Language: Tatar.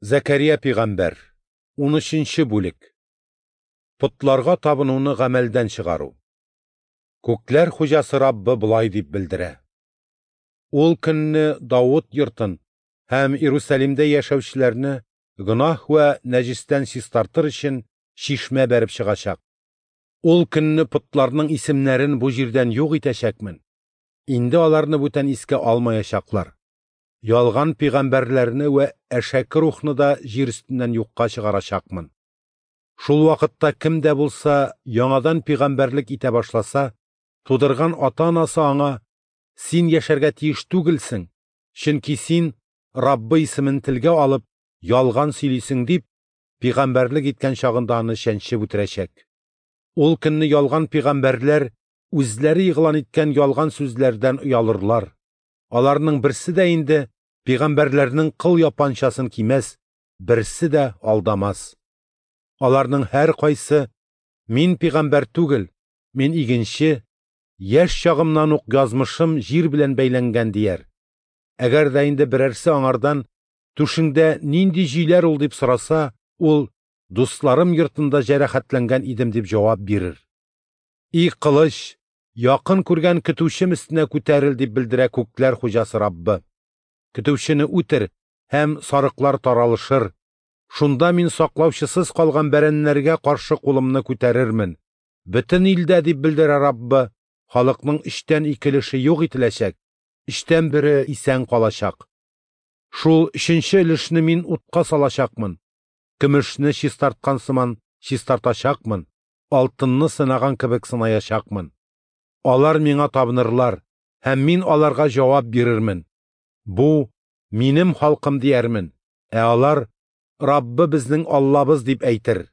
Зәкәрия пигамбәр, 13 бүлек. Потларга табынуны гамәлдән чыгару. Күкләр хуҗасы Раббы болай дип белдерә: Ул көнне Давыт йортын һәм Иерусалимдә яшәүчеләрне гөнаһ вә нәҗестән чистартыр өчен чишмә бәреп чыгачак. Ул көнне потларның исемнәрен бу җирдән юк итәчәкмен. Инде аларны бүтән искә алмаячаклар. Ялган пигамбәрләрне вә әшәке рухны да җир өстеннән юкка чыгарачакмын. Шул вакытта кем дә булса яңадан пигамбәрлек итә башласа, тудырган ата-анасы аңа: "Син яшәргә тиеш түгелсең, чөнки син Раббы исемен телгә алып ялган сөйлисең" дип, пигамбәрлек иткән чагында аны чәнчеп үтерәчәк. Ул көнне ялган пигамбәрләр үзләре игълан иткән ялган сүзләрдән оялырлар. Аларның берсе дә инде пигамбәрләрнең кыл япанчасын кимәс, берсе дә алдамас. Аларның һәркайсы: "Мин пигамбәр түгел, мин игенче, яшь чагымнан ук язмышым җир белән бәйләнгән" дияр. Әгәр дә инде берәрсе аңардан: "Түшеңдә нинди җөйләр ул?" дип сораса, ул: "Дусларым йортында җәрәхәтләнгән идем" дип җавап бирер. И кылыч, якын күргән көтүчем өстенә күтәрел, дип белдерә күкләр хуҗасы Раббы. Көтүчене үтер, һәм сарыклар таралышыр. Шунда мин саклаучысыз калган бәрәннәргә каршы кулымны күтәрермен. Бөтен илдә, дип белдерә Раббы, халыкның 2 өлеше юк ителәчәк, 1/3 исән калачак. Шул 3нче өлешне мин утка салачакмын. Көмешне чистарткан сыман чистартачакмын, алтынны сынаган кебек сынаячакмын. Алар миңа табынырлар, һәм мин аларга җавап бирермен. Бу минем халкым диярмен, ә алар: "Раббы безнең Аллабыз" дип әйтер.